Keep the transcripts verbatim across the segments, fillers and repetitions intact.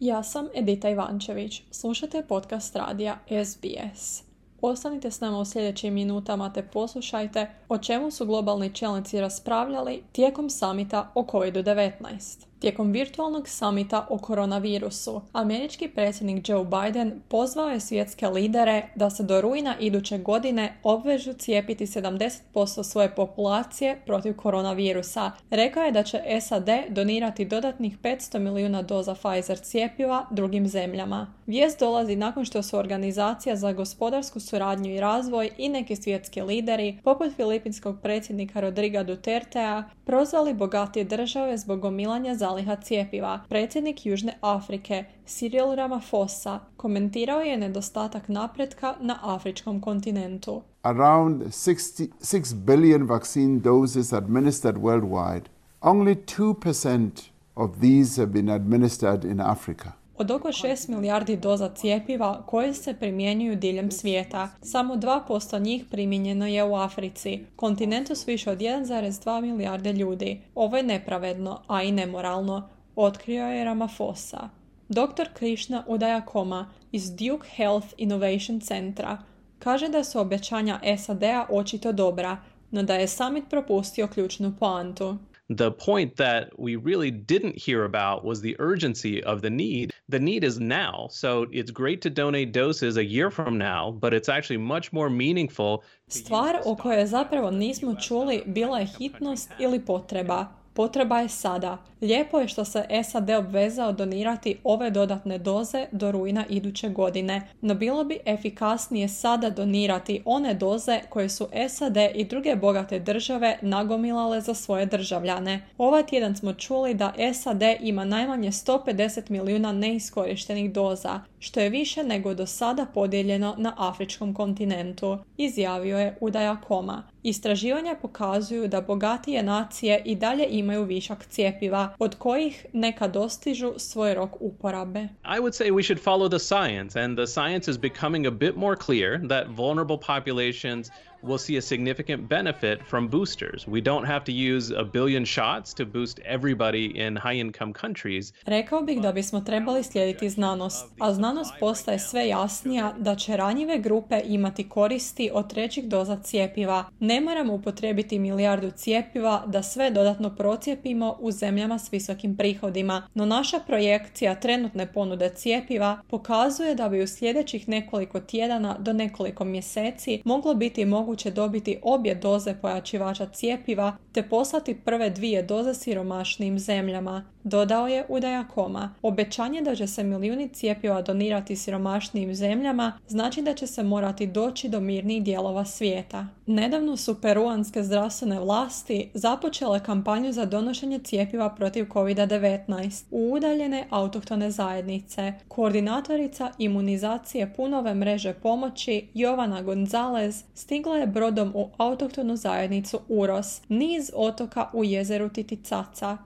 Ja sam Edita Ivančević. Slušajte podcast radija S B S. Ostanite s nama u sljedećim minutama te poslušajte o čemu su globalni čelnici raspravljali tijekom samita o kovid devetnaest. Tijekom virtualnog samita o koronavirusu, američki predsjednik Joe Biden pozvao je svjetske lidere da se do rujna iduće godine obvežu cijepiti sedamdeset posto svoje populacije protiv koronavirusa. Rekao je da će S A D donirati dodatnih petsto milijuna doza Pfizer cjepiva drugim zemljama. Vijest dolazi nakon što su Organizacija za gospodarsku suradnju i razvoj i neki svjetski lideri, poput filipinskog predsjednika Rodriga Dutertea, prozvali bogatije države zbog gomilanja zaliha cjepiva. Predsjednik Južne Afrike, Cyril Ramaphosa, komentirao je nedostatak napretka na afričkom kontinentu. Around sixty-six billion vaccine doses administered worldwide. Only two percent of these have been administered in Africa. Od oko šest milijardi doza cjepiva koje se primjenjuju diljem svijeta, samo dva posto njih primijenjeno je u Africi, kontinentu s više od jedan zarez dva milijarde ljudi. Ovo je nepravedno, a i nemoralno, otkrio je Ramaphosa. doktor Krishna Udayakoma iz Duke Health Innovation Centra kaže da su obećanja S A D-a očito dobra, no da je summit propustio ključnu poantu. The point that we really didn't hear about was the urgency of the need. The need is now, so it's great to donate doses a year from now, but it's actually much more meaningful. Stvar o kojoj zapravo nismo čuli bila je hitnost ili potreba. Potreba je sada. Lijepo je što se S A D obvezao donirati ove dodatne doze do rujna iduće godine, no bilo bi efikasnije sada donirati one doze koje su S A D i druge bogate države nagomilale za svoje državljane. Ovaj tjedan smo čuli da S A D ima najmanje sto pedeset milijuna neiskorištenih doza, što je više nego do sada podijeljeno na afričkom kontinentu, izjavio je Udayakoma. Istraživanja pokazuju da bogatije nacije i dalje imaju višak cjepiva, od kojih neka dostižu svoj rok uporabe. I would say we should follow the science, and the science is becoming a bit more clear that vulnerable populations will see a significant benefit from boosters. We don't have to use a billion shots to boost everybody in high-income countries. Rekao bih da bismo trebali slijediti znanost, a znanost postaje sve jasnija da će ranjive grupe imati koristi od trećih doza cjepiva. Ne moramo upotrijebiti milijardu cjepiva da sve dodatno procijepimo u zemljama s visokim prihodima, no naša projekcija trenutne ponude cjepiva pokazuje da bi u sljedećih nekoliko tjedana do nekoliko mjeseci moglo biti moguće će dobiti obje doze pojačivača cjepiva te poslati prve dvije doze siromašnijim zemljama, dodao je Udayakoma. Obećanje da će se milijuni cjepiva donirati siromašnijim zemljama znači da će se morati doći do mirnih dijelova svijeta. Nedavno su peruanske zdravstvene vlasti započele kampanju za donošenje cjepiva protiv kovid devetnaest u udaljene autohtone zajednice. Koordinatorica imunizacije punove mreže pomoći Jovana Gonzalez stigla je brodom u autohtonu zajednicu Uros, niz otoka u jezeru Titicaca.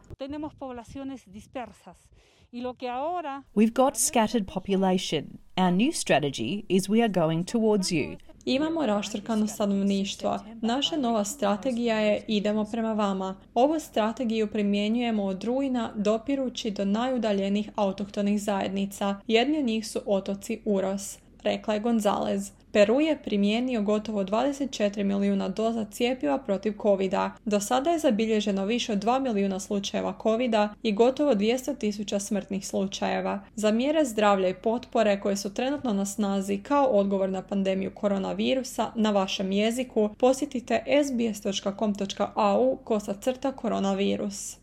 We've got scattered population. Our new strategy is we are going towards you. Imamo raštrkano stanovništvo. Naša nova strategija je idemo prema vama. Ovu strategiju primjenjujemo od rujna dopirući do najudaljenijih autohtonih zajednica. Jedni od njih su otoci Uros, rekla je Gonzalez. Peru je primijenio gotovo dvadeset četiri milijuna doza cjepiva protiv covida. Do sada je zabilježeno više od dva milijuna slučajeva covida i gotovo dvjesto tisuća smrtnih slučajeva. Za mjere zdravlja i potpore koje su trenutno na snazi kao odgovor na pandemiju koronavirusa na vašem jeziku, posjetite s b s dot com dot a u kosa crta koronavirus.